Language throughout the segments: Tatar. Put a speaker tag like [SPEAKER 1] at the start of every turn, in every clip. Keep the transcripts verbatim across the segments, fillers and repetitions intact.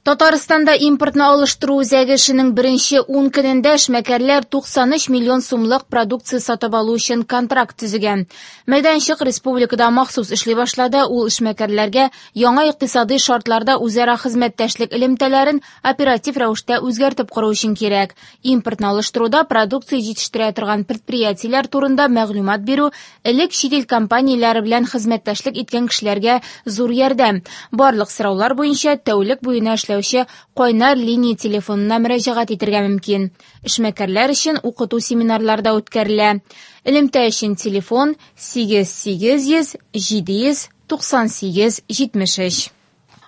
[SPEAKER 1] Татарстанда импортны алыштыру үзәге эшенең беренче ун көнендә эшмәкәрләр туксан өч миллион сумлык продукция сатып алу өчен контракт төзегән. Мәйданчык республикада махсус эшли башлады. Ул эшмәкәрләргә яңа икътисадый шартларда үзара хезмәттәшлек элемтәләрен оператив рәвештә үзгәртеп кору өчен кирәк. Импортны алыштыруда продукция җитештерә торган предприятиеләр турында мәгълүмат бирү элек чит ил компанияләре белән хезмәттәшлек иткән кешеләргә зур ярдәм. Барлык сораулар буенча тәүлек буена эшләүче кайнар линия телефонына мөрәҗәгать итәргә мөмкин. Эшмәкәрләр өчен укыту семинарлары да үткәрелә. Элемтә өчен телефон сигез сигез йөз җиде йөз туксан сигез җитмеш өч.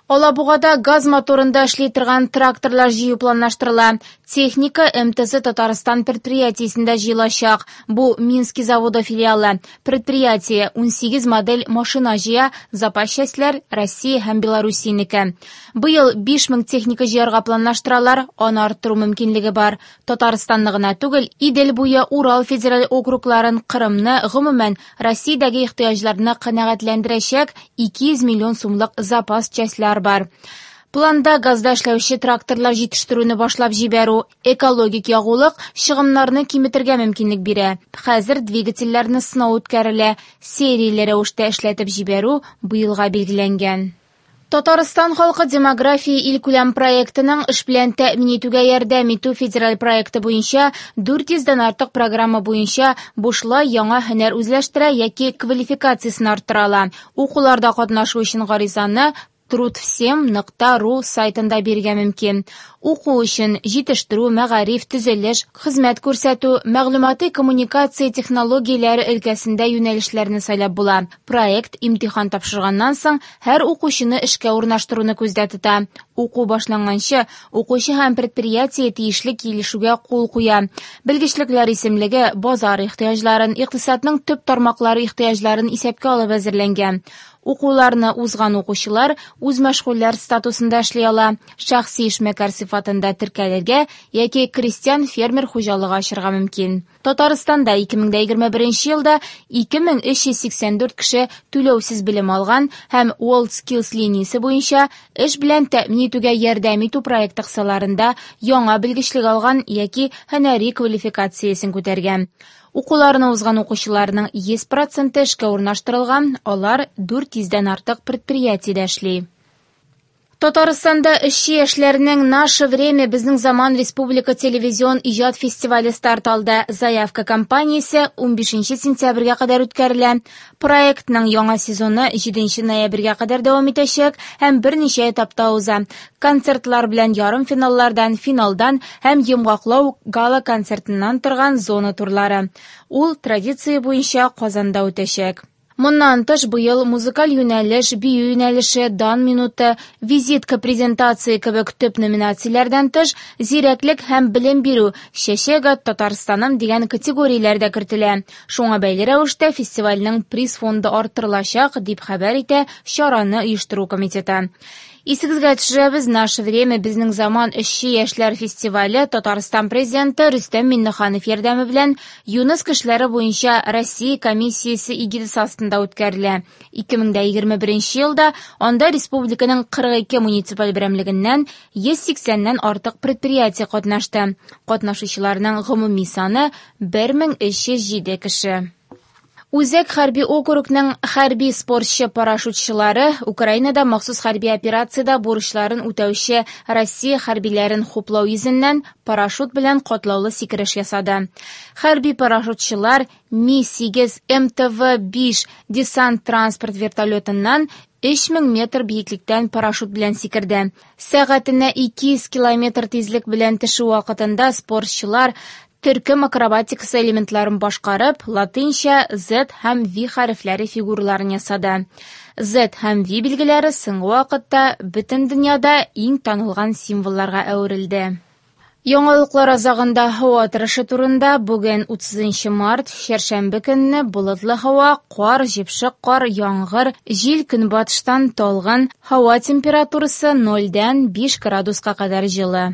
[SPEAKER 1] Алабугада газ моторында эшли торган тракторлар җыю планлаштырыла. Техника эм тэ зэ Татарстан предприятиесендә җыелачак. Бу Минский заводы филиалы. Предприятие унсигез модель машина җыя, запас частьләр Россия һәм Белоруссиянеке. Быел биш мең техника җыярга планлаштыралар, аны арттыру мөмкинлеге бар. Татарстанны гына түгел, Идел буе, Урал федераль округларын, Кырымны, гомумән, Россиядәге ихтыяҗларны канәгатьләндерәчәк ике йөз миллион сумлык запас частьләр бар. Планда газда эшләүче тракторлар җитештерүне башлап җибәрү, экологик ягулык чыгымнарны киметергә мөмкинлек бирә. Хәзер двигательләрне сынау үткәрелә, серияле рәвештә эшләтеп җибәрү быелга билгеләнгән. Татарстан халкы демография илкүләм проектының эш белән тәэмин итүгә ярдәм итү федераль проекты буенча дүрт йөздән артык программа буенча бушлай яңа һөнәр үзләштерә яки квалификациясен арттыра ала. Укуларда катнашу өчен гаризаны труд всем нокта ру сайтында бирергә мөмкин. Уку өчен җитештерү, мәгариф, төзелеш, хезмәт күрсәтү, мәгълүмати коммуникация технологияләре өлкәсендә юнәлешләрне сайлап була. Проект имтихан тапшырганнан соң һәр укучыны эшкә урнаштыруны күздә тота. Уку башланганчы укучы һәм предприятие тиешле килешүгә кул куя. Белгечлекләр исемлеге базар ихтыяҗларын, икътисадның төп тармаклары ихтыяҗларын исәпкә алып әзерләнгән. Укуларны узган укучылар үз мәшгульләр статусында эшли ала, шәхси эшмәкәр сыйфатында теркәлергә яки крестьян фермер хуҗалыгы ачырга мөмкин. Татарстанда ике мең дә егерме беренче елда ике мең өч йөз сиксән дүрт кеше түләүсез белем алган һәм WorldSkills линиясе буенча эш белән тәэмин итүгә ярдәм итү проекты кысаларында яңа белгечлек алган яки һөнәри квалификациясен күтәргән. Укуларны узган укучыларның йөз проценты эшкә урнаштырылган, алар дүрт йөздән артык предприятиедә эшли. Татарстанда эшче яшьләрнең Наше время безнең заман республика телевизион иҗат фестивале старт алды. Заявка кампаниясе унбишенче сентябрьгә кадәр үткәрелә. Проектның яңа сезоны җиденче ноябрьгә кадәр дәвам итәчәк һәм берничә этапта уза. Концертлар белән ярымфиналлардан, финалдан һәм йомгаклау гала концертыннан торган зона турлары. Ул традиция буенча Казанда үтәчәк. Моннан тыш быел музыкаль юнәлеш, бию юнәлеше, дан минуты, визитка презентация кебек төп номинацияләрдән тыш, зирәклек һәм белем бирү, чәчәк ат Татарстаным дигән категорияләр дә кертелә. Шуңа бәйле рәвештә фестивальнең приз фонды арттырылачак, дип хәбәр итә чараны оештыру комитеты. Исегезгә төшерәбез, Наше время безнең заман эшче яшьләр фестивале Татарстан президенты Рөстәм Миңнеханов ярдәме белән Юныс кешеләре буенча Россия комиссиясе эгидасы астында үткәрелә. Ике мең дә егерме беренче елда анда республиканың кырык ике муниципаль берәмлегеннән йөз сиксәннән артык предприятие катнашты. Катнашучыларның гомуми саны бер мең өч йөз җиде кеше. Үзәк хәрби округның хәрби спортчы парашютчылары Украинада махсус хәрби операциядә бурычларын үтәүче Россия хәрбиләрен хуплау йөзеннән парашют белән катлаулы сикереш ясады. Хәрби парашютчылар Ми сигез эм тэ вэ биш десант транспорт вертолетыннан өч мең метр биеклектән парашют белән сикерде. Сәгатенә ике йөз километр тизлек белән төшү вакытында спортчылар төркем акробатикасы элементларын башкарып, латинча Z һәм V хәрефләре фигураларын ясады. Z һәм V билгеләре соңгы вакытта бөтен дөньяда иң танылган символларга әверелде. Яңалыклар азагында һава торышы турында бүген утызынчы март, чәршәмбе көнне болытлы һава, кар, җепшек кар, яңгыр, җил көнбатыштан талгын, һава температурасы нольдән биш градуска кадәр җылы.